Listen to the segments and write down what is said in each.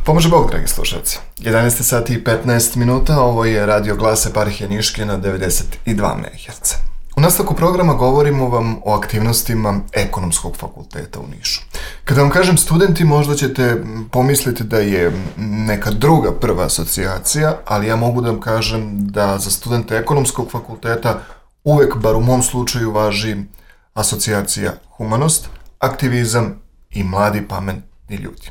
Pomože Bog, dragi slušalci. 11 sati i 15 minuta, ovo je Radio Glas Eparhije Niške na 92 MHz. U nastavku programa govorimo vam o aktivnostima Ekonomskog fakulteta u Nišu. Kada vam kažem studenti, možda ćete pomisliti da je neka druga prva asocijacija, ali ja mogu da vam kažem da za studente Ekonomskog fakulteta uvek, bar u mom slučaju, važi asocijacija Humanost, aktivizam i mladi pametni ljudi.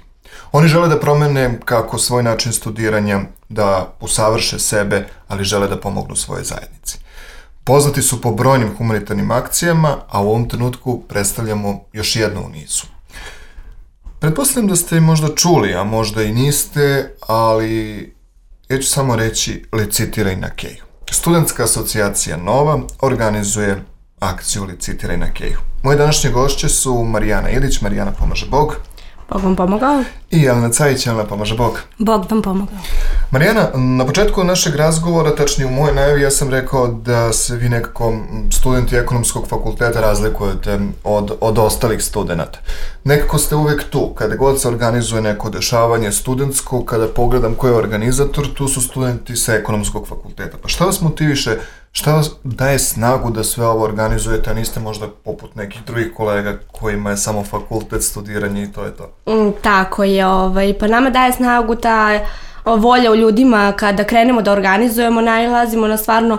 Oni žele da promene kako svoj način studiranja, da usavrše sebe, ali žele da pomognu svojoj zajednici. Poznati su po brojnim humanitarnim akcijama, a u ovom trenutku predstavljamo još jednu u nizu. Pretpostavljam da ste možda čuli, a možda i niste, ali ja ću samo reći Licitiraj na Keju. Studentska asocijacija Nova organizuje akciju Licitiraj na Keju. Moje današnje gošće su Marijana Ilić, Marijana pomaže Bog. Bog vam pomogao. I Jelena Cajić, Jelena pomaže Bog. Bog vam pomogao. Marijana, na početku našeg razgovora, tačnije u mojoj najavi, ja sam rekao da se vi nekako studenti Ekonomskog fakulteta razlikujete od ostalih studenta. Nekako ste uvek tu, kada god se organizuje neko dešavanje studentsko, kada pogledam ko je organizator, tu su studenti sa Ekonomskog fakulteta. Pa šta vas motiviše, šta vas daje snagu da sve ovo organizujete, a niste možda poput nekih drugih kolega kojima je samo fakultet, studiranje i to je to? Tako je, pa nama daje snagu ta volja u ljudima. Kada krenemo da organizujemo, nailazimo na stvarno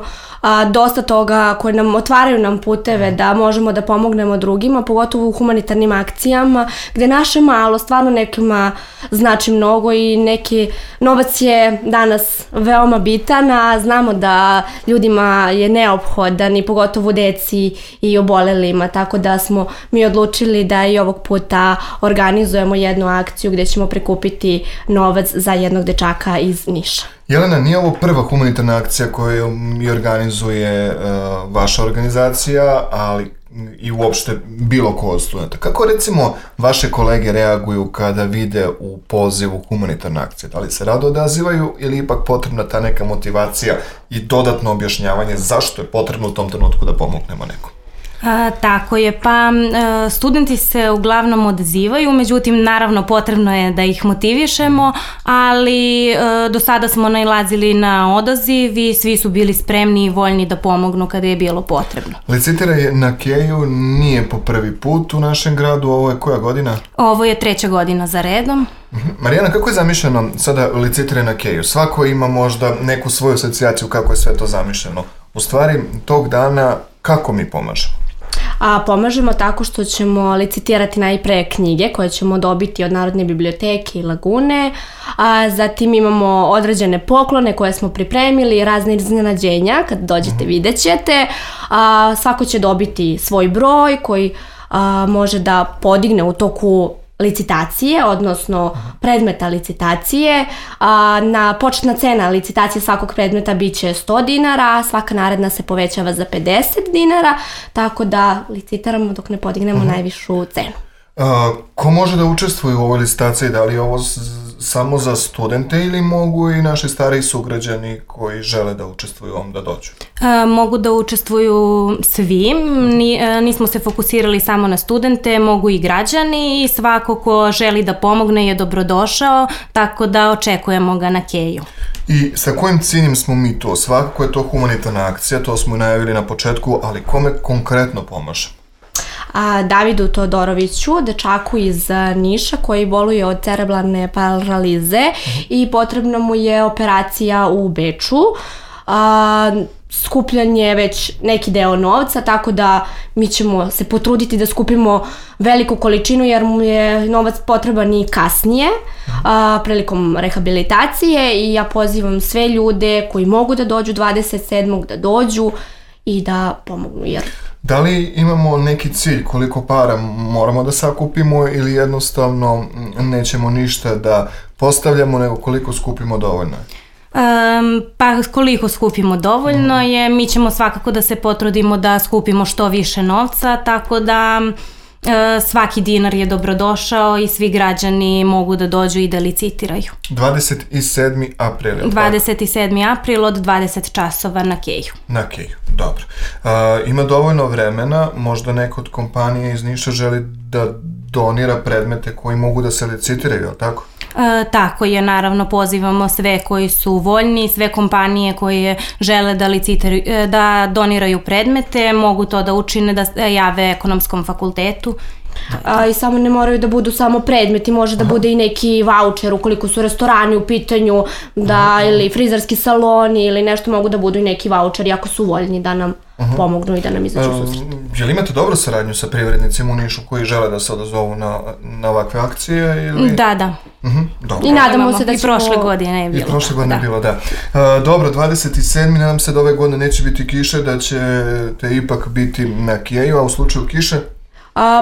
dosta toga koje nam otvaraju nam puteve da možemo da pomognemo drugima, pogotovo u humanitarnim akcijama, gde naše malo stvarno nekima znači mnogo i neki novac je danas veoma bitan, a znamo da ljudima je neophodan i pogotovo deci i obolelima, tako da smo mi odlučili da i ovog puta organizujemo jednu akciju gde ćemo prikupiti novac za jednog dečaka iz Niša. Jelena, nije ovo prva humanitarna akcija koju mi organizuje vaša organizacija, ali i uopšte bilo ko od studenta. Kako recimo vaše kolege reaguju kada vide u pozivu humanitarna akcija? Da li se rado odazivaju ili ipak potrebna ta neka motivacija i dodatno objašnjavanje zašto je potrebno u tom trenutku da pomognemo nekom? Tako je, pa studenti se uglavnom odazivaju, međutim naravno potrebno je da ih motivišemo, ali do sada smo nailazili na odaziv i svi su bili spremni i voljni da pomognu kada je bilo potrebno. Licitiraj na Keju nije po prvi put u našem gradu, ovo je koja godina? Ovo je 3. godina za redom. Marijana, kako je zamišljeno sada Licitiraj na Keju? Svako ima možda neku svoju asocijaciju kako je sve to zamišljeno. U stvari, tog dana kako mi pomažemo? Pomažemo tako što ćemo licitirati najpre knjige koje ćemo dobiti od Narodne biblioteke i Lagune, zatim imamo određene poklone koje smo pripremili, razne iznenađenja, kad dođete vidjet ćete, svako će dobiti svoj broj koji može da podigne u toku licitacije, odnosno predmeta licitacije. Početna cena licitacije svakog predmeta bit će 100 dinara, a svaka naredna se povećava za 50 dinara, tako da licitiramo dok ne podignemo najvišu cenu. Ko može da učestvuje u ovoj licitaciji? Da li je ovo samo za studente ili mogu i naši stariji sugrađani koji žele da učestvuju u ovom da dođu? Mogu da učestvuju svi, nismo se fokusirali samo na studente, mogu i građani i svako ko želi da pomogne je dobrodošao, tako da očekujemo ga na Keju. I sa kojim ciljem smo mi to? Svakako je to humanitarna akcija, to smo i najavili na početku, ali kome konkretno pomaže? Davidu Todoroviću, dečaku iz Niša koji boluje od cerebralne paralize i potrebno mu je operacija u Beču. Skupljan je već neki deo novca, tako da mi ćemo se potruditi da skupimo veliku količinu jer mu je novac potreban i kasnije prilikom rehabilitacije i ja pozivam sve ljude koji mogu da dođu 27. da dođu i da pomognu. Da li imamo neki cilj koliko para moramo da sakupimo ili jednostavno nećemo ništa da postavljamo nego koliko skupimo dovoljno? Pa koliko skupimo dovoljno je, mi ćemo svakako da se potrudimo da skupimo što više novca, tako da svaki dinar je dobrodošao i svi građani mogu da dođu i da licitiraju. 27. april. 27. april od 20 časova na Keju. Na Keju, dobro. Ima dovoljno vremena, možda neko od kompanije iz Niša želi da donira predmete koji mogu da se licitiraju, je li tako? Tako je, naravno pozivamo sve koji su voljni, sve kompanije koje žele da doniraju predmete, mogu to da učine, da jave Ekonomskom fakultetu. I samo ne moraju da budu samo predmeti, može da bude i neki vaučer ukoliko su restorani u pitanju, ili frizerski saloni ili nešto, mogu da budu i neki vaučeri ako su voljni da nam pomognu i da nam izađu u susret. Jel imate dobru saradnju sa privrednicima u Nišu koji žele da se odazovu na ovakve akcije? Ili? Da. I nadamo se da ćemo... I prošle godine je bilo. I prošle godine je bilo, da. Dobro, 27. nadam se da ove godine neće biti kiše, da ćete ipak biti na Kijeju, a u slučaju kiše?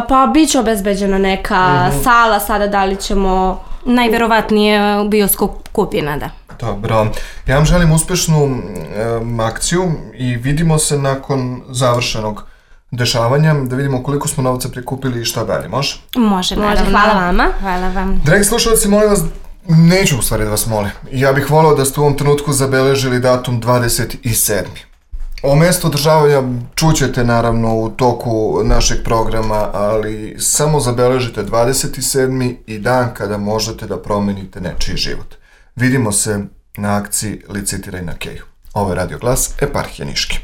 Pa bit će obezbeđena neka sala, sada da li ćemo... Najverovatnije bioskop Kupina, da. Dobro, ja vam želim uspešnu akciju i vidimo se nakon završenog dešavanja, da vidimo koliko smo novca prikupili i šta dalje, može? Može, hvala vama. Hvala vam. Dragi slušalci, molim vas, neću u stvari da vas molim, ja bih voleo da ste u ovom trenutku zabeležili datum 27. O mestu održavanja čućete naravno u toku našeg programa, ali samo zabeležite 27. i dan kada možete da promenite nečiji život. Vidimo se na akciji Licitiraj na Keju. Ovo je Radio Glas, Eparhije Niške.